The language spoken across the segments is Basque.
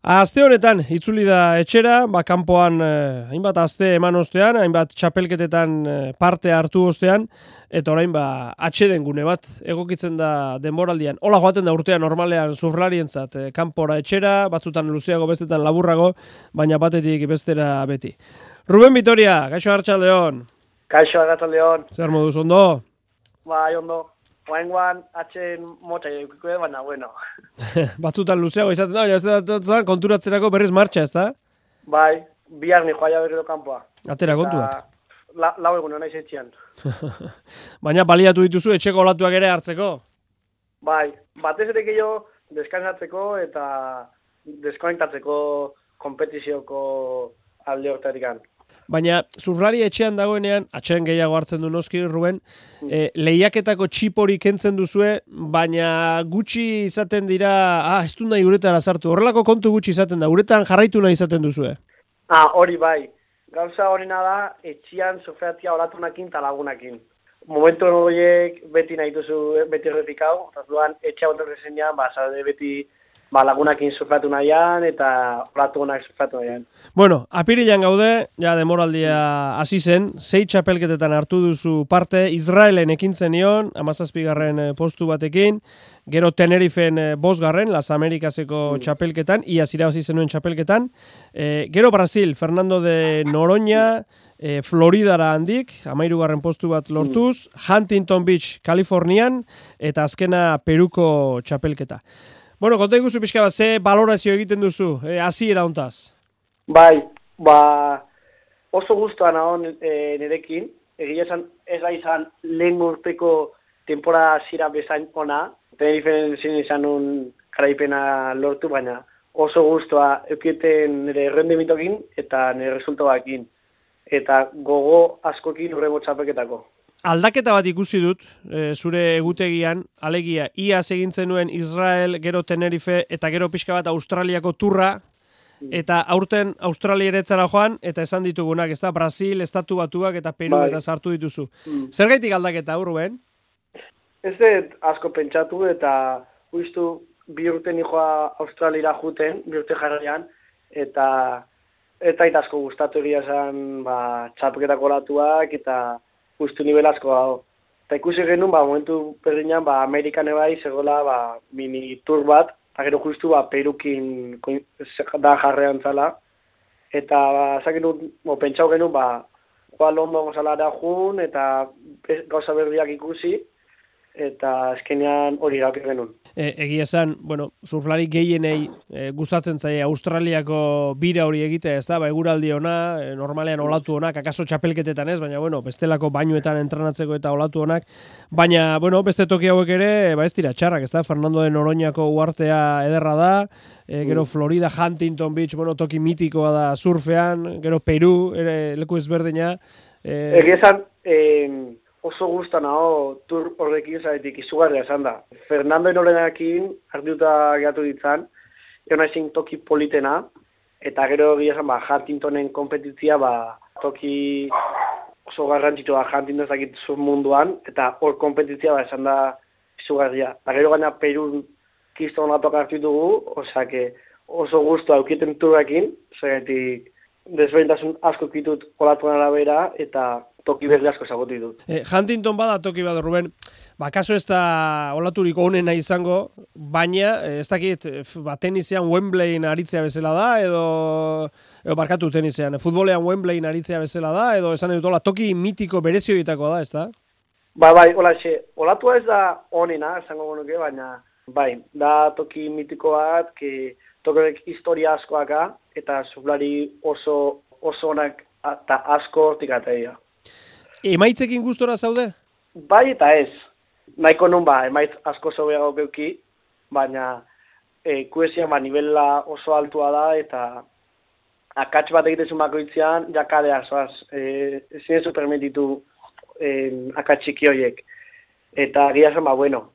Aste honetan itzuli da etxera, kanpoan hainbat aste eman ostean, hainbat txapelketetan parte hartu ostean, eta orain atxeden gune bat egokitzen da denboraldian. Hola joaten da urtean normalean surflarientzat, kanpora etxera, batzutan luzeago, bestetan laburrago, baina batetik bestera beti. Ruben Vitoria, kaixo arratsaldeon. Kaixo arratsaldeon. Zer moduz, ondo? Bai, ondo. Oaingoan atxen motxa eukiko, baina bueno. Batzutan luzeago izaten da, baina beste konturatzerako berriz martxa, ezta? Bai, bihar ni joaia berriro kanpoa. Atera kontuak. Lau egun naiz etxean. Baina baliatu dituzu etxeko olatuak ere hartzeko? Bai, batez ere gehiago deskansatzeko eta deskonektatzeko kompetizioko alde horretatik. Baina surflari etxean dagoenean, atxean gehiago hartzen du noski, Ruben, lehiaketako txipori kentzen duzue, baina gutxi izaten dira, ez du nahi uretara sartu, horrelako kontu gutxi izaten da, uretan jarraitu nahi izaten duzue. Hori bai, gauza horina da, etxean surfeatzia olatunakin eta lagunakin. Momentu horiek beti nahi duzu, beti erretik hau, eta duan etxea ontorrezenean, zaude beti lagunakin surfatu nahian eta olatunak surfatu nahian. Bueno, apirilan gaude, ja demoraldia hasi zen, 6 txapelketetan hartu duzu parte, Israelen ekin zenion, 17. postu batekin, gero Tenerifen 5. Las Americaseko txapelketan, iaz irabazi zenuen txapelketan, gero Brasil, Fernando de Noronha, Floridara handik, 13. postu bat lortuz, Huntington Beach, Kalifornian, eta azkena Peruko txapelketa. Bueno, konta ikusi pixka bat, ze balorazio egiten duzu, hasiera hontaz? Bai, oso guztua nago nirekin, egia esan ez da izan lehen urteko temporada hasiera bezain ona, Tenerifen zin izan un garaipena lortu, baina oso guztua eukieten nire rendimitokin eta nire resultoakin, eta gogo askokin urrengo txapelketako. Aldaketa bat ikusi dut, zure egutegian, alegia, iaz egintzen nuen Israel, gero Tenerife, eta gero pixka bat Australiako turra, eta aurten Australia eretzara joan, eta esan ditugunak, ez da, Brasil, Estatu Batuak, eta Peru, eta sartu dituzu. Zergaitik aldaketa, Ruben? Ez dut asko pentsatu, eta uiztu bi urte nijoa Australiara juten, bi urte jarraian, eta asko gustatu egia esan, txapelketako olatuak, eta justu nivel asko dago. Eta ikusi genuen, momentu berdinean, Amerikan ebai, zegoela, mini tour bat, eta gero justu, Perukin da jarrean zala. Eta, pentsau genuen, Londo gozalara jun, eta gauza berriak ikusi, eta eskenean hori gauk genuen. Egia esan, surflari gehienei gustatzen zaie Australiako bira hori egitea, ez da, eguraldi ona, normalean olatu onak, akaso txapelketetan ez, baina, bestelako bainuetan entrenatzeko eta olatu onak, baina, beste toki hauek ere, ez dira txarrak, ez da, Fernando de Noronhako uhartea ederra da, gero Florida, Huntington Beach, toki mitikoa da surfean, gero Peru, ere leku ezberdina. Egia esan, oso guzta nago tur horrekin zaretik izugarria esan da. Fernando Noronharekin hartuta gehatu ditzan, egon ezin toki politena, eta gero egia esan, Huntingtonen kompetitzia, toki oso garrantzitsua Huntington zakit zur munduan, eta hor kompetitzia esan da izugarria. Eta gero gaina Perun kiston latok hartu dugu, oso guztua eukiten turrekin, zaretik desberdintasun asko kitut olatuan arabera, eta toki berri asko ezagutu ditut. Huntington bada toki bat, Ruben, kaso ez da olaturiko honena izango, baina, ez dakit, tenisean Wembleyin aritzea bezala da, edo barkatu tenisean, futbolean Wembleyin aritzea bezala da, edo esan edut, toki mitiko berezioitako da, ez da? Olatua ez da honena, esango genuke, baina, da toki mitiko bat, toki historia askoaka, eta surflari oso onak eta asko hortik ataia. Emaitzekin gustora zaude? Bai eta ez. Nahiko nun emaitz asko zobeago geuki, baina kuesian nivela oso altua da, eta akats bat egitezun bakoitzean, jakadea zoaz, ezin zu permititu akats txiki horiek. Eta gira zen,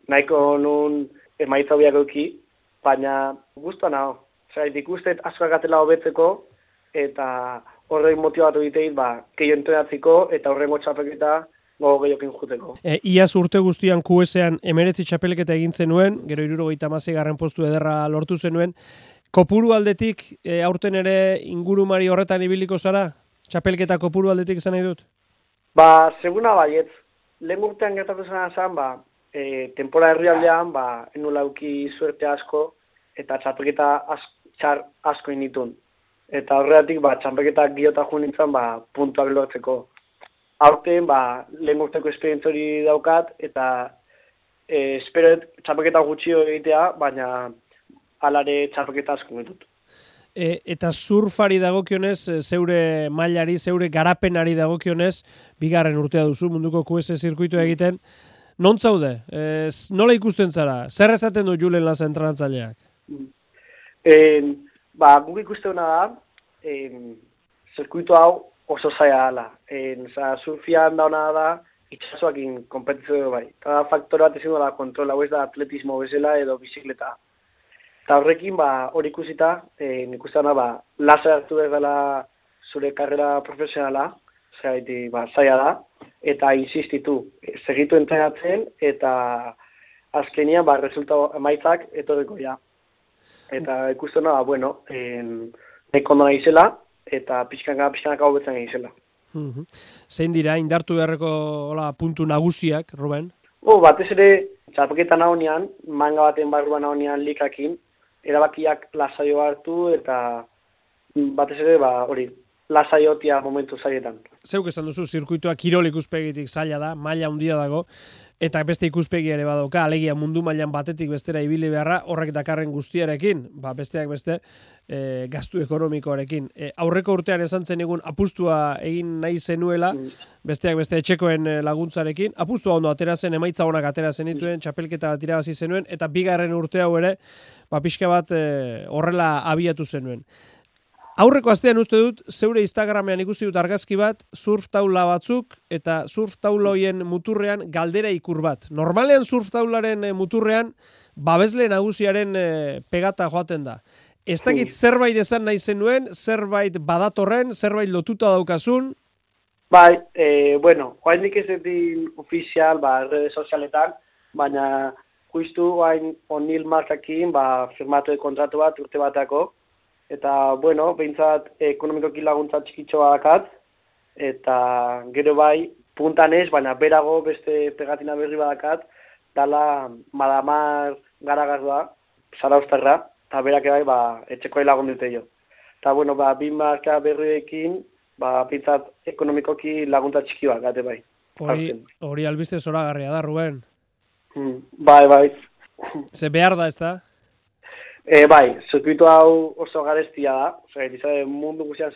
nahiko nun emaitza hobiak geuki, baina guztua nago. Zeraitik ustet asko agatela hobetzeko, eta horrein motibatu diteit, keio entrenatziko, eta horrengo txapelketa gogo gehiokin juteko. Iaz urte guztian QS-ean 19 txapelketa egin zenuen, gero 76. postu ederra lortu zenuen. Kopuru aldetik, aurten ere ingurumari horretan ibiliko zara? Txapelketa kopuru aldetik izan nahi dut? Ba, seguna baietz. Lehen urtean gertatu zen, tempora herrialdean, enula auki suerte asko, eta txapelketa txar asko initun. Eta horretik, txapelketa giota jo nintzen, puntuak lortzeko. Aurten, lehen urteko esperientzori daukat, eta espero txapelketa gutxio egitea, baina alare txapelketa asko ditut. Eta surfari dagokionez, zeure mailari, zeure garapenari dagokionez, bigarren urtea duzu munduko QS zirkuitu egiten. Non zaude? Nola ikusten zara? Zer esaten du Julen Laza entrenatzaileak? Guk ikusten da, zirkuitu hau oso zaila dela. Surfian dauna da, itxasoakin kompetizio bai. Eta faktor bat ezin da kontrola, hau ez da atletismo bezala edo bizikleta. Eta horrekin, hori ikusita, nik uste dana, lasa hartu dela zure karrera profesionala, zaila da, eta insistitu, segitu entrenatzen, eta azkenian, resultatu emaitzak etorreko ja. Eta ikusten dana, neko ondo nahi zela, eta pixkanaka hobetzen nahi zela. Zein dira, indartu beharreko puntu nagusiak, Ruben? Batez ere, txapelketa nahonean, manga baten barruan nahonean likakin, erabakiak lasaio hartu eta batez ere lasaiotia momentu zailetan. Zeuk esan duzu, zirkuitua kirol ikuspegitik zaila da, maila handia dago, eta beste ikuspegi ere badauka, alegia mundu mailan batetik bestera ibili beharra, horrek dakarren guztiarekin, besteak beste, gastu ekonomikoarekin. Aurreko urtean esan zen egun apustua egin nahi zenuela, besteak beste etxekoen laguntzarekin, apustua ondo atera zen, emaitza honak atera zenituen, txapelketa bat irabazi zenuen, eta bigarren urte hau ere, pixka bat horrela abiatu zenuen. Aurreko astean uste dut, zeure Instagramean ikusi dut argazki bat, surf taula batzuk, eta surf taula hoien muturrean galdera ikur bat. Normalean surf taularen muturrean, babesle nagusiaren pegata joaten da. Ez dakit zerbait esan nahi zenuen, zerbait badatorren, zerbait lotuta daukazun? Bai, joaindik ez edin ofizial, redes sozialetan, baina justu hain O'Neill markakin, firmatu kontratu bat urte batako, eta, behintzat ekonomikoki laguntza txikitxoa dakat, eta gero bai, puntan ez, baina berago beste pegatina berri badakat, dala Madamar Garagardoa, Zaraustarra, eta berak bai, etxekoa lagun dute jo. Eta, bi marka berriekin, pintzat ekonomikoki laguntza txiki bat, gate bai. Hori albiste zoragarria da, Ruben? Bai. Ze behar da, ez da? Bai, zirkuitu hau oso garestia da, mundu guztian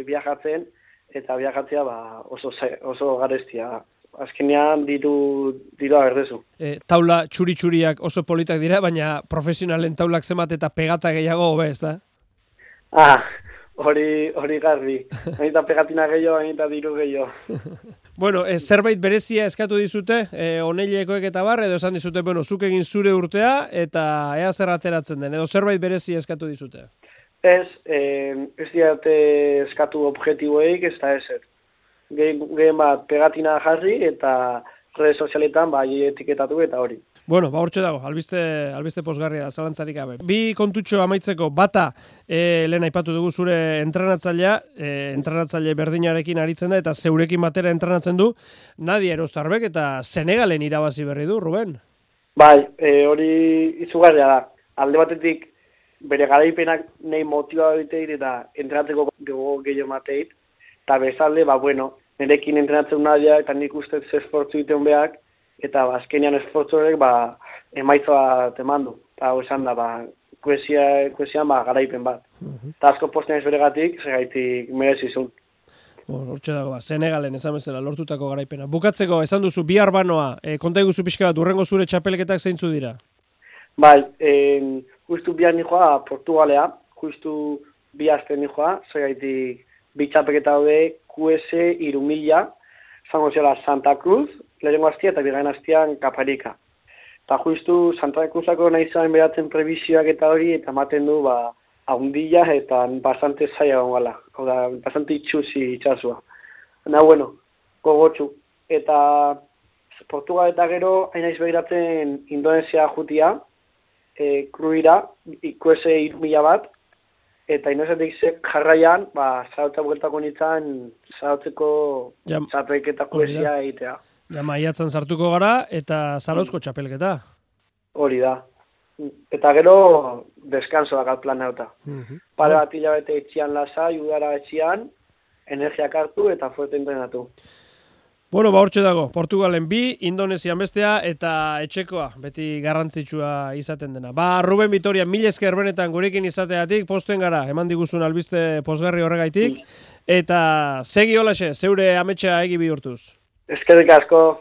viajatzen, eta viajatzea oso garestia da. Azkenean dirua berdezu. Taula txuri-txuriak oso politak dira, baina profesionalen taulak zemat eta pegata gehiago hobe, ez da? Hori garbi. Hainita pegatina gehiago, hainita diru gehiago. Zerbait berezia eskatu dizute, oneilekoek eta bar, edo esan dizute, zuk egin zure urtea, eta ea zer ateratzen den, edo zerbait berezia eskatu dizute? Ez diate eskatu objektiboeik, ez da ezer. Gehen bat pegatina jarri, eta redes sozialetan etiketatu eta hori. Hortxe dago, albiste pozgarria da, zalantzarik gabe. Bi kontutxo amaitzeko, bata, lehen aipatu dugu zure entrenatzailea, entrenatzaile berdinarekin aritzen da, eta zeurekin batera entrenatzen du, Nadia Erostarbek eta Senegalen irabazi berri du, Ruben? Bai, hori izugarria da. Alde batetik, bere garaipenak nahi motiba egiteit eta entrenatzeko gehiago mateit, eta bezalde, nerekin entrenatzen Nadia, eta nik uste esfortzu egiten behak, eta azkenean esfortzu horrek emaitza bat eman du. Eta esan da, kuesian garaipen bat. Eta asko posten ez beregatik, segaitik merezizun. Hortxe dago, Senegalen esan bezala lortutako garaipena. Bukatzeko, esan duzu, bihar banoa, konta iguzu pixka bat, urrengo zure txapelketak zeintzu dira? Bai, justu bihar nijoa Portugalea, justu bi aste nijoa, segaitik bi txapelketa daude QS 3000, zango zela Santa Cruz, lehenengo hastia eta bigarren hastian Kaparika. Eta justu Santa Cruzako nahi zuen beratzen prebizioak eta hori, eta ematen du haundila eta bastante zaila gongola. Hau da, bastante itxusi itxasua. Gogotxu. Eta Portugal eta gero, hain naiz begiratzen Indonesia jutia, kruira, ikuese 3.000 bat, eta inozetik jarraian, zarautza bueltako nintzen, zarautzeko txapelketa kuesia egitea. Ja, maiatzen sartuko gara, eta Zarauzko txapelketa. Hori da. Eta gero, deskanso dakal plan nauta. Pare bat hilabete etxian lasai, udara etxian, energiak hartu eta fuerte entrenatu. Bueno, hortxe dago, Portugalen 2, Indonesian bestea, eta etxekoa, beti garrantzitsua izaten dena. Ruben Vitoria, mil esker benetan gurekin izateatik, posten gara, eman diguzun albiste posgarri horregaitik, eta segi holaxe, zeure ametsa egi bihurtuz. Eskerrik asko.